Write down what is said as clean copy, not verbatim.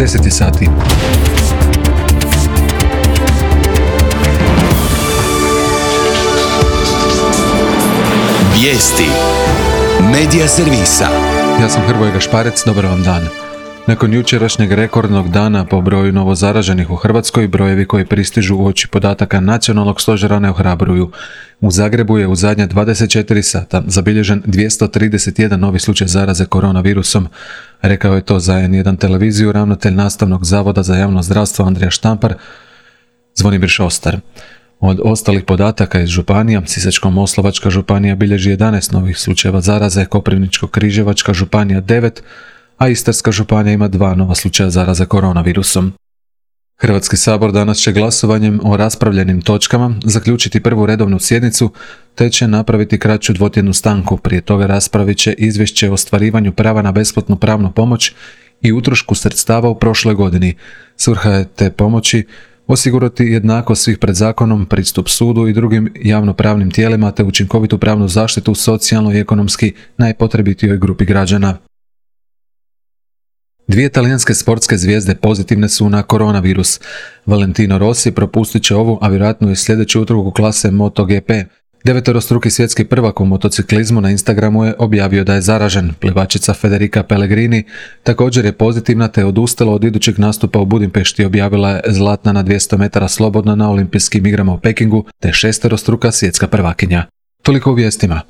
10 je sati. Vijesti Medija servisa. Ja sam Hrvoje Gašparec, dobar vam dan. Nakon jučerašnjeg rekordnog dana po broju novozaraženih u Hrvatskoj, brojevi koji pristižu uoči podataka Nacionalnog stožera ne ohrabruju. U Zagrebu je u zadnja 24 sata zabilježen 231 novi slučaj zaraze koronavirusom. Rekao je to za N1 televiziju ravnatelj Nastavnog zavoda za javno zdravstvo Andrija Štampar, Zvonimir Šostar. Od ostalih podataka iz županija, Sisačko-moslavačka županija bilježi 11 novih slučajeva zaraze, Koprivničko-križevačka županija 9, a Istarska županija ima 2 nova slučaja zaraze koronavirusom. Hrvatski sabor danas će glasovanjem o raspravljenim točkama zaključiti prvu redovnu sjednicu, te će napraviti kraću dvotjednu stanku. Prije toga raspravit će izvješće o ostvarivanju prava na besplatnu pravnu pomoć i utrošku sredstava u prošloj godini. Svrha je te pomoći osigurati jednakost svih pred zakonom, pristup sudu i drugim javnopravnim tijelima te učinkovitu pravnu zaštitu socijalno i ekonomski najpotrebitijoj grupi građana. 2 talijanske sportske zvijezde pozitivne su na koronavirus. Valentino Rossi propustit će ovu, a vjerojatno i sljedeću utrku klase MotoGP. 9-struki svjetski prvak u motociklizmu na Instagramu je objavio da je zaražen. Plivačica Federica Pellegrini također je pozitivna te je odustala od idućeg nastupa u Budimpešti. Objavila je zlatna na 200 metara slobodna na olimpijskim igrama u Pekingu te 6-struka svjetska prvakinja. Toliko u vijestima.